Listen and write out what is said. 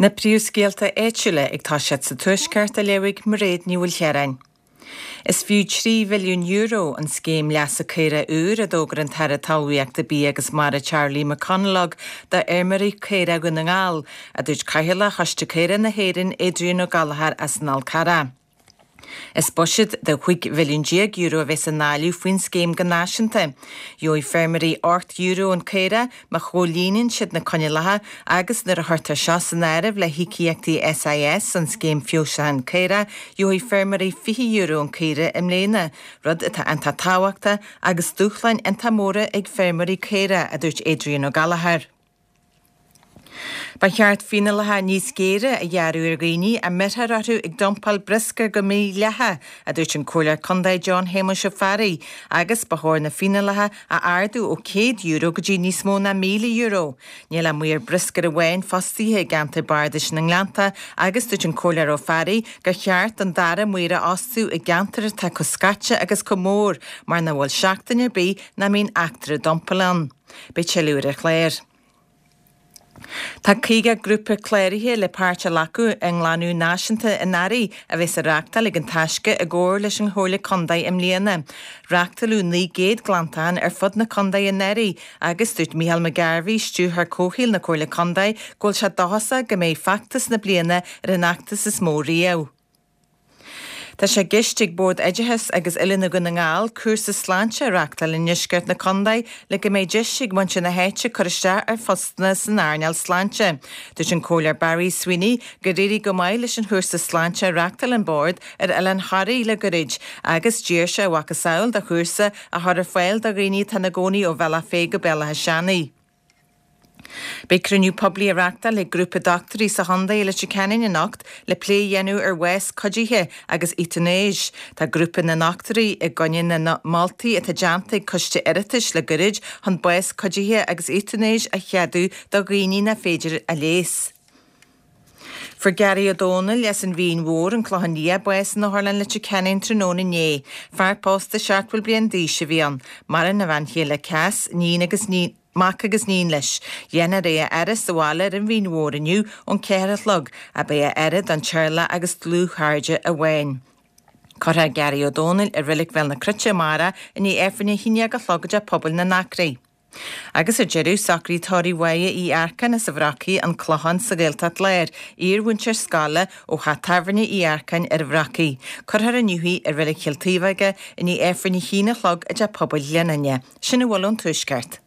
Na príomhscéalta áitiúla ag toiseacht sa Tuaisceart á léamh ag Mairéad Ní Mhaoilchiaráin. Is fiú €3 mhilliún an scéim leasa caorach úr a d'fhógair an tAire Talmhaíochta, Bia agus Mara Charlie McConalogue do fheirmeoirí caorach Dhún na nGall, a dúirt Cathaoirleach Choiste Caorach na hÉireann Adrian Ó Gallchóir as an Fhál Carrach. Is buiséad de €15 mhilliún a bheas á ndáileadh faoin scéim go náisiúnta. Gheobhaidh feirmeoirí €8 an caora má chomhlíonann siad na coinníollacha agus nuair a chuirtear seo san áireamh le híocaíochtaí SIS, an Scéim Feabhsúcháin Caorach, gheobhaidh feirmeoirí €20 an caora i mbliana, rud atá iontach tábhachtach agus dúshláin iontach móra ag feirmeoirí caorach, a dúirt Adrian Ó Gallchóir. Ba cheart fíneálacha níos géire a ghearradh ar dhaoine a mbeirtear orthu ag dumpáil bruscair go mídhleathach, a dúirt an Comhairleoir Contae John Shéamuis Ó Fearraigh, agus ba chóir na fíneálacha a ardú ó €100 go dtí níos mó ná €1,000. Níl ach maor bruscair amháin fostaithe i gceantar bardais na nGleannta agus dúirt an Comhairleoir Ó Fearraigh gur cheart an dara maor a fhostú i gceantar atá chomh scaite agus chomh mór mar nach bhfuil seachtain ar bith nach mbíonn eachtra dumpála ann. Beidh tuilleadh ar an chlár. Tá 50 grúpa cláraithe le páirt a ghlacadh i nGlanadh Náisiúnta an Earraigh a bheas á reáchtáil ag An Taisce i gcomhar leis an Chomhairle Contae i mbliana. Reáchtáladh 900 glantachán ar fud na contae anuraidh agus dúirt Micheál McGarvey, Stiúrthóir Comhshaoil na Comhairle Contae, go bhfuil sé dóchasach go mbeidh feachtas na bliana ar an fheachtas is mó riamh. Tá sé i gceist ag Bord Oideachais agus Oiliúna Dhún na nGall cúrsa sláinte a reáchtáil i ndeisceart na contae le go mbeidh deis ag muintir na háite cur isteach ar phostanna san earnáil sláinte. Dúirt an Comhairleoir Barry Sweeney gur éirigh go maith leis an chúrsa sláinte a reáchtáil an Bord ar Oileán Thoraí le goirid agus d'iarr sé a mhacasamhail de chúrsa a chur ar fáil do dhaoine atá ina gcónaí ó Bhealach Féich go Béal Átha Seanaidh. Beidh cruinniú poiblí á reáchtáil ag grúpa dochtúirí sa chontae i Leitir Ceanainn anocht le plé a dhéanamh ar bhás cuidithe agus eotanáis. Tá grúpa na ndochtúirí i gcoinne na moltaí atá déanta ag coiste Oireachtais le goirid chun bás cuidithe agus eotanáis a cheadú do dhaoine nach féidir a leigheas. Fuair Gary Ó Dónaill as an Mhín Mhór, An Clochán Liath, bás in Otharlann Leitir Ceanainn tráthnóna inné. Fear pósta 70 bliain d'aois a bhí ann. Maireann a bhean chéile Cass, níon agus mac agus iníon leis. Déanfar é a fhaire sa bhaile ar an Mhín Mhór inniu ón 4 a chlog ach beidh a fhaire don teaghlach agus dlúthchairde amháin. Cuirfear Gary Ó Dónaill i Reilig Bhéal na Cruite amárach i ndiaidh Aifreann a 11 a chlog i dTeach Pobail na nAcraí. Agus ar deireadh, socraíodh tórramh Mháire Uí Earcáin as an Bhrocaigh, An Clochán sa Ghaeltacht Láir, iarmhúinteoir scoile ó theach tábhairne Uí Earcáin ar an Bhrocaigh. Cuirfear inniu í i Reilig Chill Taobhóige i ndiaidh Aifreann a haon a chlog i dTeach Pobail Ghleann Fhinne. Sin a bhfuil ón Tuaisceart.